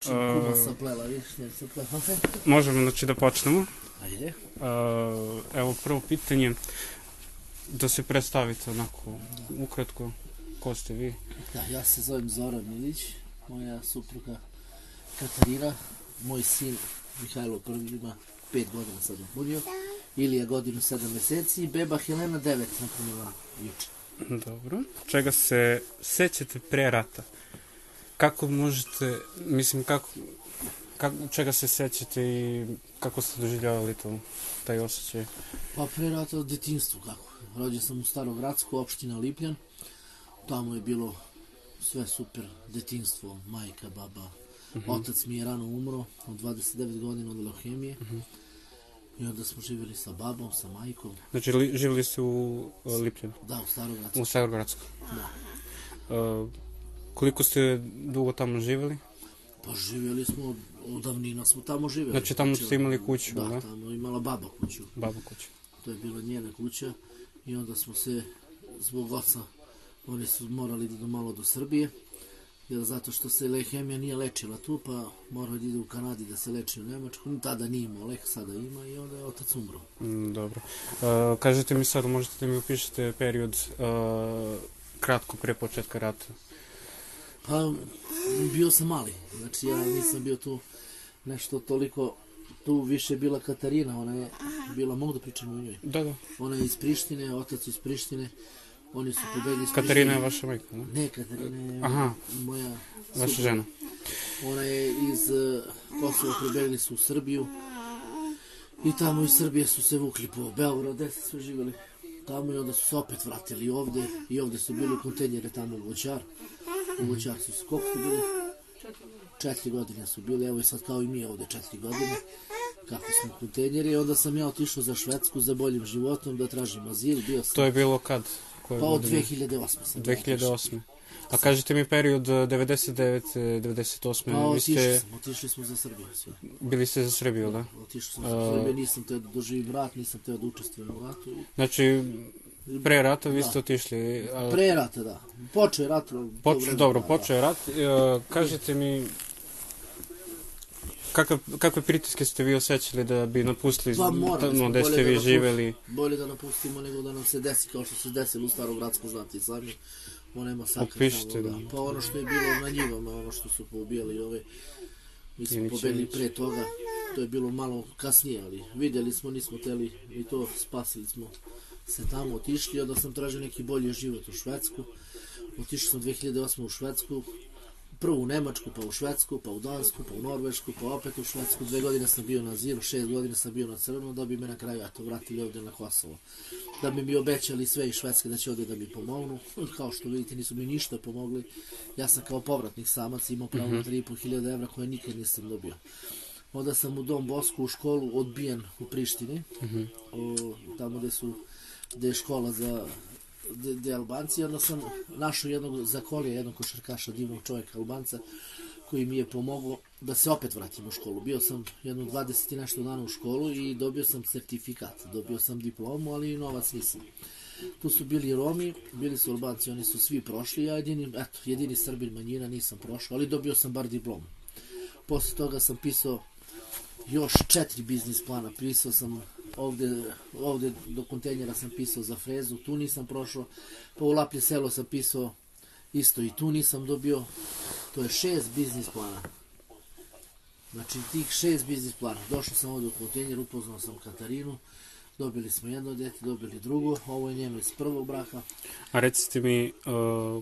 Čim kuma saplela, vidiš, ne saplela. Možemo znači da počnemo. Ajde. Evo prvo pitanje, da se predstavite onako ukratko, ko ste vi? Da, ja se zovem Zoran Milić, moja supruga Katarina, moj sin Mihajlo prvi ima 5 godina sad napunio, Ilija godinu 7 meseci i beba Helena 9 napunila juče. Dobro. Čega se sećate pre rata? Kako možete, mislim, čega se sećate i kako ste doživljavali to, taj osjećaj? Pa pre rata od detinjstvu kako. Rođen sam u Starogradsku, opština Lipljan. Tamo je bilo sve super, detinjstvo, majka, baba. Otac mi je rano umro, od 29 godina od leuhemije. I onda smo živjeli sa babom, sa majkom. Znači, živjeli ste u Lipljanu? Da, u Starogradsku. U Starogradsku. Da. Koliko ste dugo tamo živjeli? Pa živjeli smo, od davnina smo tamo živjeli. Znači, tamo ste imali kuću, da? Da, tamo je imala baba kuću. Baba kuću. To je bila njena kuća i onda smo se, zbog oca, oni su morali da idu malo do Srbije, jer zato što se leuhemija nije lečila tu, pa morao da ide u Kanadi da se leči u Nemačku. Tada nije imao lek, sada ima i onda je otac umro. Dobro. Kažete mi sad, možete da mi upišete period kratko pre početka rata? Pa, bio sam mali, znači ja nisam bio tu nešto toliko, tu više je bila Katarina, ona je bila, mogu da pričam o njoj? Da. Ona je iz Prištine, otac iz Prištine, oni su pobegli iz Prištine. Katarina je vaša majka, ne? Ne, Katarina je moja vaša žena. Ona je iz Kosova, pobegli su u Srbiju i tamo iz Srbije su se vukli po Beogradu, gde su sve živjeli tamo i onda su se opet vratili ovde i ovde su bili u kontejnjere tamo u Voćar. U Voćar su se, koliko su bili? 4 godine su bili, evo i sad kao i mi ovde 4 godine, kako smo u kontejnjeri. I onda sam ja otišao za Švedsku za boljim životom, da tražim azil, bio sam... To je bilo kad? Pa od 2008. sam. 2008. A kažete mi period 99-98. Pa otišli smo za Srbiju. Bili ste za Srbiju, da? Otišli smo za Srbiju, nisam teo da doživim rat, nisam teo da učestvujem u ratu. Znači, pre rata vi ste otišli? Pre rata, da. Počeo je rat. Dobro, počeo je rat. Kažete mi, kakve pritiske ste vi osjećali da bi napustili gde ste vi živeli? Bolje da napustimo nego da nam se desi kao što se desilo u Starogradsku, znate i sami. Ona je masakra tamo, pa ono što je bilo na njivama, ono što su poubijali ove, mi smo pobegli pre toga, to je bilo malo kasnije, ali vidjeli smo, nismo teli i to, spasili smo se tamo, otišli, onda sam tražio neki bolji život u Švedsku, otišli sam 2008. u Švedsku, prvo u Nemačku, pa u Švedsku, pa u Dansku, pa u Norvešku, pa opet u Švedsku, 2 godine sam bio na azilu, 6 godina sam bio na crno, da bi me na kraju vratili ovdje na Kosovo. Da bi mi obećali sve iz Švedske da će ovdje da mi pomognu, kao što vidite nisu mi ništa pomogli, ja sam kao povratnik samac imao pravo na 3.500 evra koje nikad nisam dobio. Onda sam u Dom Bosku u školu odbijen u Prištini, tamo gde je škola za Albanci, onda sam našao jednog zakolija, jednog košarkaša, divnog čovjeka Albanca, koji mi je pomogao da se opet vratim u školu. Bio sam jedno 20 i nešto dana u školu i dobio sam certifikat, dobio sam diplomu, ali novac nisam. Tu su bili Romi, bili su Albanci, oni su svi prošli, ja jedini Srbin manjina nisam prošao, ali dobio sam bar diplomu. Posle toga sam pisao još 4 biznis plana, pisao sam ovde do kontejnjera sam pisao za frezu, tu nisam prošao, pa u Laplje selo sam pisao isto i tu nisam dobio, to je 6 biznis plana. Znači tih 6 biznis plana, došao sam ovde u kontejnjer, upoznao sam Katarinu, dobili smo jedno dete, dobili drugo, ovo je njeno iz prvog braka. A recite mi,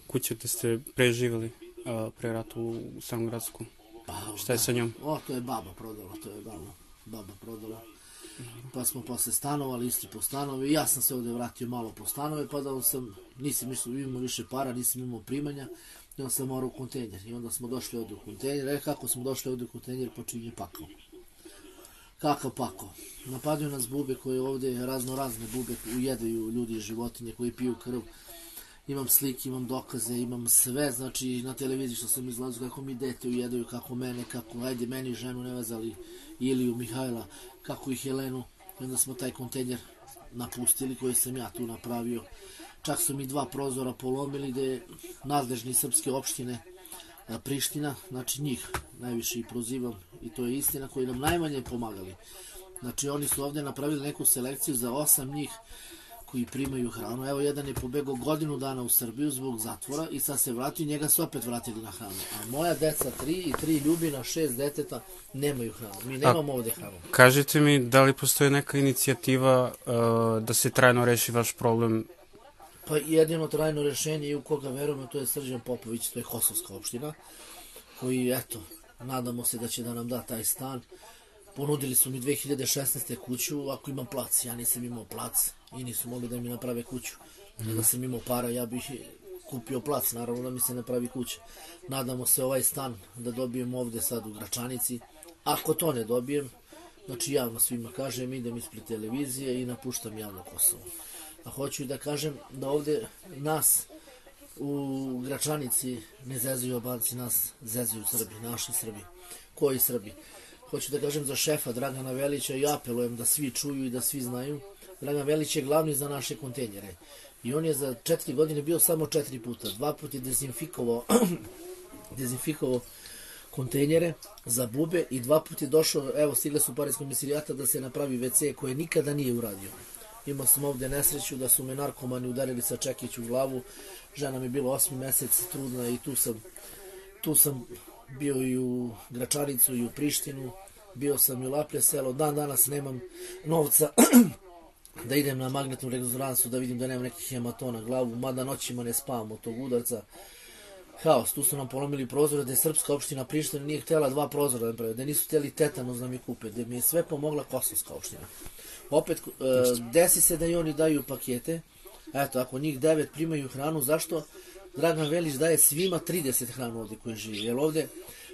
kuće da ste preživjeli pre ratu u Starogradsku? Šta je sa njom? To je baba prodala, baba prodala. Pa smo posle stanovali, isti po stanove, ja sam se ovde vratio malo po stanove, pa da nisam imao više para, nisam imao primanja, i onda sam morao u kontejnjer, i onda smo došli ovde u kontejnjer, kako smo došli ovde u kontejnjer, počinje pakao. Kakav pakao? Napadaju nas bube koje ovde, razne bube, ujedaju ljudi i životinje koji piju krv. Imam slike, imam dokaze, imam sve, znači na televiziji što sam izlazio, kako mi dete ujedaju, kako mene, ajde meni ženu ne vezali, Iliju, Mihajla, kako i Helenu, i onda smo taj kontejnjer napustili koji sam ja tu napravio. Čak su mi 2 prozora polomili gde nadležni srpske opštine Priština, znači njih najviše i prozivam i to je istina, koji nam najmanje pomagali. Znači oni su ovdje napravili neku selekciju za 8 njih koji primaju hranu. Evo jedan je pobegao godinu dana u Srbiju zbog zatvora i sad se vratio i njega su opet vratili na hranu. A moja deca 3 i 3 ljubina, 6 deteta nemaju hranu. Mi nemamo ovdje hranu. Kažite mi, da li postoji neka inicijativa da se trajno reši vaš problem? Pa jedino trajno rešenje i u koga verujemo, to je Srđan Popović, to je Kosovska opština, koji, eto, nadamo se da će da nam da taj stan. Ponudili su mi 2016. kuću, ako imam plac. Ja nisam imao plac i nisu mogli da mi naprave kuću. Da sam imao para, ja bih kupio plac, naravno da mi se napravi kuća. Nadamo se ovaj stan da dobijem ovde sad u Gračanici. Ako to ne dobijem, znači javno svima kažem, idem ispred televizije i napuštam javno Kosovo. A hoću da kažem da ovde nas u Gračanici ne zezuju Albanci, nas zezuju Srbi, naši Srbi. Koji Srbi? Hoću da kažem za šefa Dragana Velića i apelujem da svi čuju i da svi znaju. Dragan Velić je glavni za naše kontejnere. I on je za 4 godine bio samo 4 puta. 2 puta je dezinfikovao kontejnere za bube i 2 puta je došao, evo stigle su pare iz komisarijata da se napravi WC koje nikada nije uradio. Imao sam ovdje nesreću da su me narkomani udarili sa čekić u glavu. Žena mi je bila 8 mesec trudna i tu sam bio i u Gračanicu i u Prištinu, bio sam i u Laplje selo, dan danas nemam novca da idem na magnetnu rezonancu da vidim da nemam nekih hematona na glavu, mada noćima ne spavam od tog udarca. Haos, tu su nam polomili prozore, da je srpska opština Priština nije htjela 2 prozora da napravi, da nisu htjeli tetanus da mi kupe, da mi je sve pomogla Kosovska opština. Opet, desi se da i oni daju pakete, eto, ako njih 9 primaju hranu, zašto? Dragan Velić daje svima 30 hranu ovdje koji živi, jer ovdje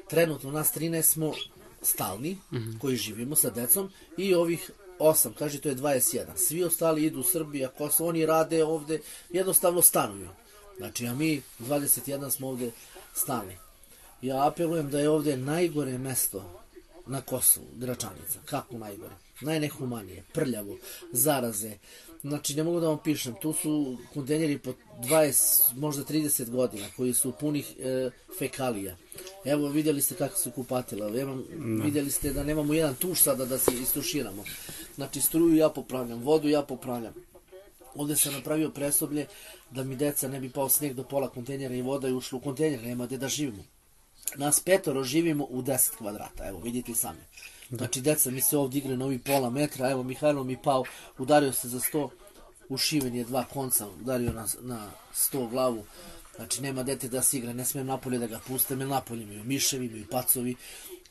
trenutno nas 13 smo stalni, koji živimo sa decom, i ovih 8, kaže to je 21. Svi ostali idu u Srbiju, ako oni rade ovdje, jednostavno stanuju. Znači, a mi 21 smo ovdje stalni. Ja apelujem da je ovdje najgore mesto na Kosovu, Gračanica. Kako najgore? Najnehumanije, prljavo, zaraze. Znači, ne mogu da vam pišem, tu su kontejneri po 20, možda 30 godina, koji su punih fekalija. Evo, vidjeli ste kako su kupatila, vidjeli ste da nemamo jedan tuš sada da se istuširamo. Znači, struju ja popravljam, vodu ja popravljam. Ovdje sam napravio presoblje da mi deca ne bi pao snijeg do pola kontejnera i voda je ušla u kontejner, nema gdje da živimo. Nas 5 živimo u 10 kvadrata, evo vidite sami. Znači deca mi se ovdje igre na ovih pola metra, evo Mihajlo mi pao, udario se za 100, ušiven je 2 konca, udario na 100 glavu. Znači nema dete da se igra, ne smijem napolje da ga pustem, jer napolje imaju miševi, imaju pacovi,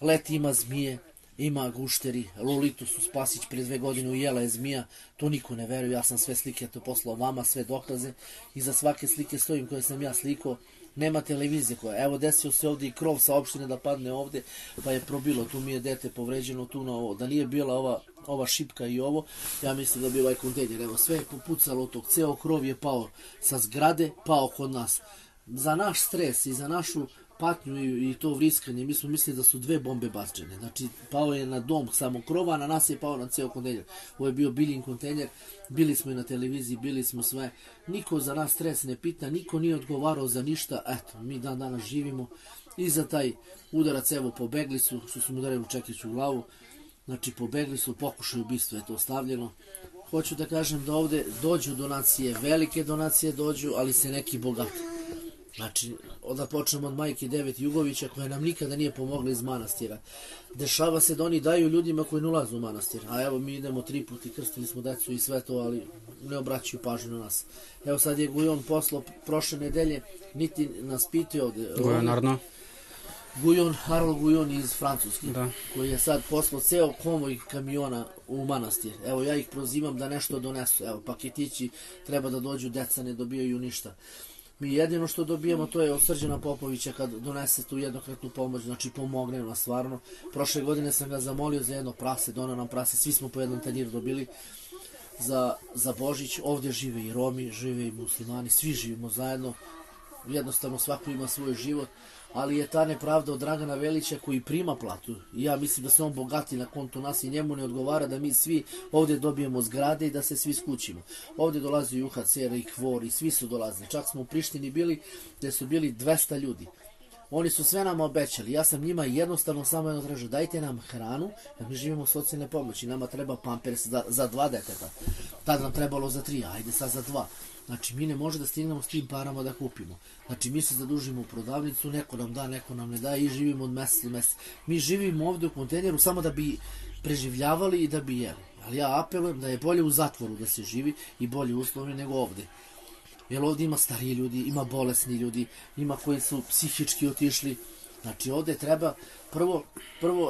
leti ima zmije, ima gušteri, Lolitu su Spasić prije 2 godine ujela je zmija, to niko ne veruje, ja sam sve slike to poslao vama, sve dokaze, i za svake slike stojim koje sam ja slikao. Nema televizije koja, evo desio se ovdje i krov sa opštine da padne ovdje, pa je probilo, tu mi je dete povređeno, tu na ovo, da nije bila ova šipka i ovo, ja mislim da bi ovaj kontejner, evo sve je popucalo od tog, ceo krov je pao sa zgrade, pao kod nas. Za naš stres i za našu patnju i to vriskanje, mi smo mislili da su 2 bombe bačene, znači pao je na dom samo krova, a na nas je pao na ceo kontejner. Ovo je bio Biljin kontejner, bili smo i na televiziji, bili smo sve, niko za nas stres ne pita, niko nije odgovarao za ništa, eto, mi dan danas živimo i za taj udarac, evo, pobegli su, što su mu udarili u čekić u glavu, znači pobegli su, pokušaj ubistva je to stavljeno. Hoću da kažem da ovdje dođu donacije, velike donacije dođu, ali se neki bogati. Znači, da počnemo od majke Devet Jugovića, koja nam nikada nije pomogla iz manastira. Dešava se da oni daju ljudima koji ne ulaze u manastir. A evo, mi idemo 3 puta i krstili smo decu i sve to, ali ne obraćaju pažnju na nas. Evo sad je Gujon poslao prošle nedelje, niti nas pitao ovdje. Gujonarno. Harol Gujon iz Francuske, koji je sad poslao ceo konvoj kamiona u manastir. Evo, ja ih prozivam da nešto donesu. Evo, paketići treba da dođu, deca ne dobijaju ništa. Mi jedino što dobijemo to je od Srđana Popovića kad donese tu jednokratnu pomoć, znači pomogne nam stvarno. Prošle godine sam ga zamolio za jedno prase, donao nam prase, svi smo po jednom tanjiru dobili za Božić. Ovdje žive i Romi, žive i muslimani, svi živimo zajedno, jednostavno svako ima svoj život, ali je ta nepravda od Dragana Velića koji prima platu. I ja mislim da se on bogati na kontu nas i njemu ne odgovara da mi svi ovdje dobijemo zgrade i da se svi skućimo. Ovdje dolazi UHCR i KVOR i svi su dolazili. Čak smo u Prištini bili gdje su bili 200 ljudi. oni su sve nama obećali. Ja sam njima jednostavno samo jedno tražio, dajte nam hranu, jer mi živimo socijalne pomoći. Nama treba pampers za 2 deteta. Tad nam trebalo za 3, ajde sad za 2. Znači, mi ne može da stignemo s tim parama da kupimo. Znači, mi se zadužimo u prodavnicu, neko nam da, neko nam ne da i živimo od meseca do meseca. Mi živimo ovde u kontejneru samo da bi preživljavali i da bi jeli. Ali ja apelujem da je bolje u zatvoru da se živi i bolje uslovi nego ovde. Jer ovdje ima stariji ljudi, ima bolesni ljudi, ima koji su psihički otišli. Znači ovdje treba, prvo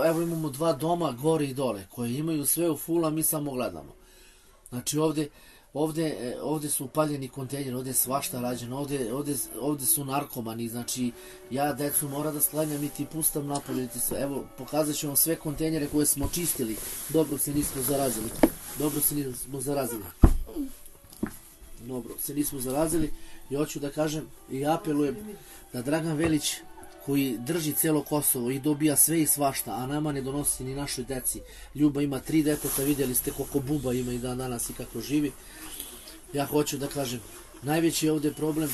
evo imamo 2 doma gore i dole, koje imaju sve u full, a mi samo gledamo. Znači ovdje su upaljeni kontejneri, ovdje je svašta rađeno, ovdje su narkomani, znači ja decu mora da sklanjam i ti pustam napolje, evo pokazat ću vam sve kontejnere koje smo čistili, dobro se nismo zarazili i hoću da kažem i apelujem da Dragan Velić koji drži celo Kosovo i dobija sve i svašta, a nama ne donosi ni našoj deci. Ljuba ima 3 deteta, vidjeli ste koliko buba ima i dan danas i kako živi. Ja hoću da kažem, najveći je ovdje problem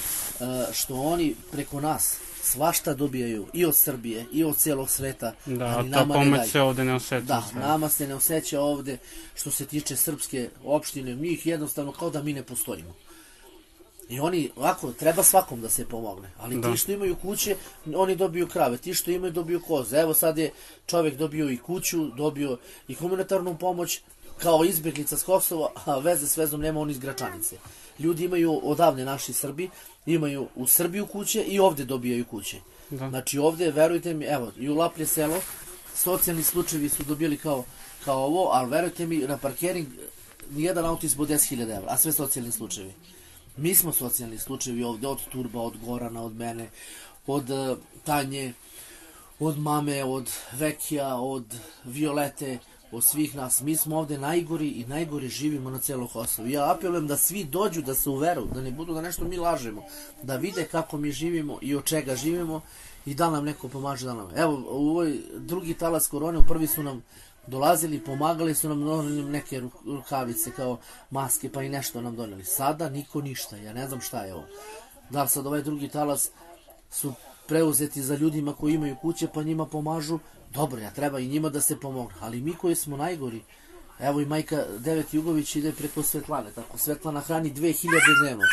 što oni preko nas svašta dobijaju i od Srbije i od cijelog sveta, ali nama ne daju. Da, ta pomoć se ovdje ne osjeća. Da, nama se ne osjeća ovdje što se tiče srpske opštine, njih jednostavno kao da mi ne postojimo. I oni, ovako, treba svakom da se pomogne, ali ti što imaju kuće, oni dobiju krave, ti što imaju dobiju koze. Evo sad je čovjek dobio i kuću, dobio i humanitarnu pomoć, kao izbjeglica s Kosova, a veze s vezom nema oni iz Gračanice. Ljudi imaju odavne, naši Srbi, imaju u Srbiju kuće i ovdje dobijaju kuće. Znači ovdje, verujte mi, evo, i u Laplje selo, socijalni slučajevi su dobili kao ovo, ali verujte mi, na parkering nijedan auto ispod 10.000 €, a sve socijalni slučajevi. Mi smo socijalni slučajevi ovdje, od Turba, od Gorana, od mene, od Tanje, od mame, od Vekija, od Violete, od svih nas. Mi smo ovdje najgori i najgore živimo na cijelom Kosovu. Ja apelujem da svi dođu, da se uveru, da ne budu da nešto mi lažemo, da vide kako mi živimo i od čega živimo i da nam neko pomaže da nam. Evo, u ovoj drugi talas korone, u prvi su nam dolazili, pomagali su nam neke rukavice kao maske, pa i nešto nam doneli. Sada niko ništa, ja ne znam šta je ovo. Da li sad ovaj drugi talas su preuzeti za ljudima koji imaju kuće, pa njima pomažu, dobro, ja treba i njima da se pomogne, ali mi koji smo najgori, evo i majka Devet Jugović ide preko Svetlane, tako Svetlana hrani 2000 dnevno.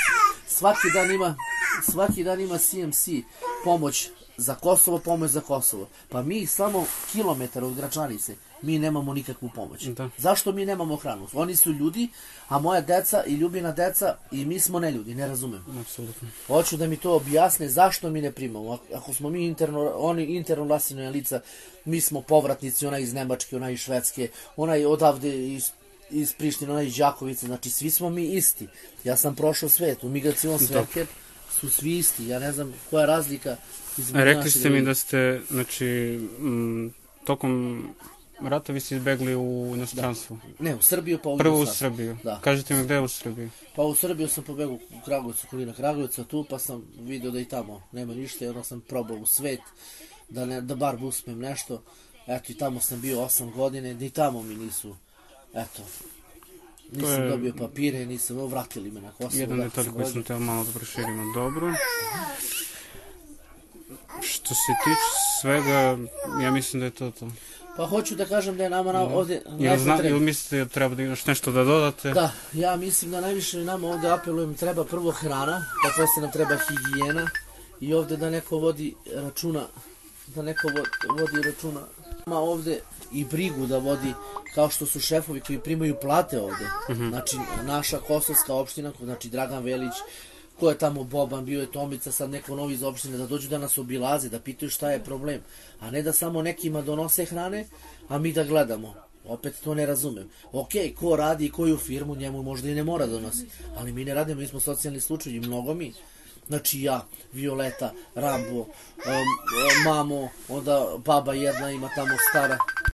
Svaki dan ima CMC pomoć za Kosovo, pa mi samo kilometar od Gračanice, mi nemamo nikakvu pomoć. Zašto mi nemamo hranu? Oni su ljudi, a moja deca i Ljubina deca i mi smo neljudi, ne razumem. Hoću da mi to objasne zašto mi ne primamo. Ako smo mi interno nasilna lica, mi smo povratnici, onaj iz Nemačke, onaj iz Švedske, onaj odavde iz Prištine, onaj iz Đakovice, znači svi smo mi isti. Ja sam prošao svet, u migracijon sveker su svi isti, ja ne znam koja je razlika. Rekli ste mi da ste, znači, tokom rata vi ste izbegli u inostranstvu. Ne, u Srbiju pa u Prvo u Srbiju. Kažete mi gde je u Srbiji? Pa u Srbiju sam pobegao u Kragujevcu, okolina Kragujevca, tu pa sam vidio da i tamo nema ništa, jedno sam probao u svet, da bar uspem nešto. Eto i tamo sam bio 8 godine, da i tamo mi nisu, eto, nisam dobio papire, vratili me na Kosovo. Jedan detalj koji sam teo malo da proširimo, dobro. Što se tiče svega, ja mislim da je to. Pa hoću da kažem da je nama ovdje najpotrebnije. Ili mislite da treba još nešto da dodate? Da, ja mislim da najviše nama ovdje apelujem, treba prvo hrana, pa posle nam treba higijena i ovdje da neko vodi računa, ima ovdje i brigu da vodi, kao što su šefovi koji primaju plate ovdje. Znači, naša kosovska opština, znači Dragan Velić, ko je tamo Boban, bio je Tomica, sad neko novi iz opštine, da dođu da nas obilaze, da pitaju šta je problem, a ne da samo nekima donose hrane, a mi da gledamo. Opet to ne razumem. Ok, ko radi i koju firmu, njemu možda i ne mora donosi, ali mi ne radimo, mi smo socijalni slučajevi, mnogo mi. Znači ja, Violeta, Rambo, mamo, onda baba jedna ima tamo stara,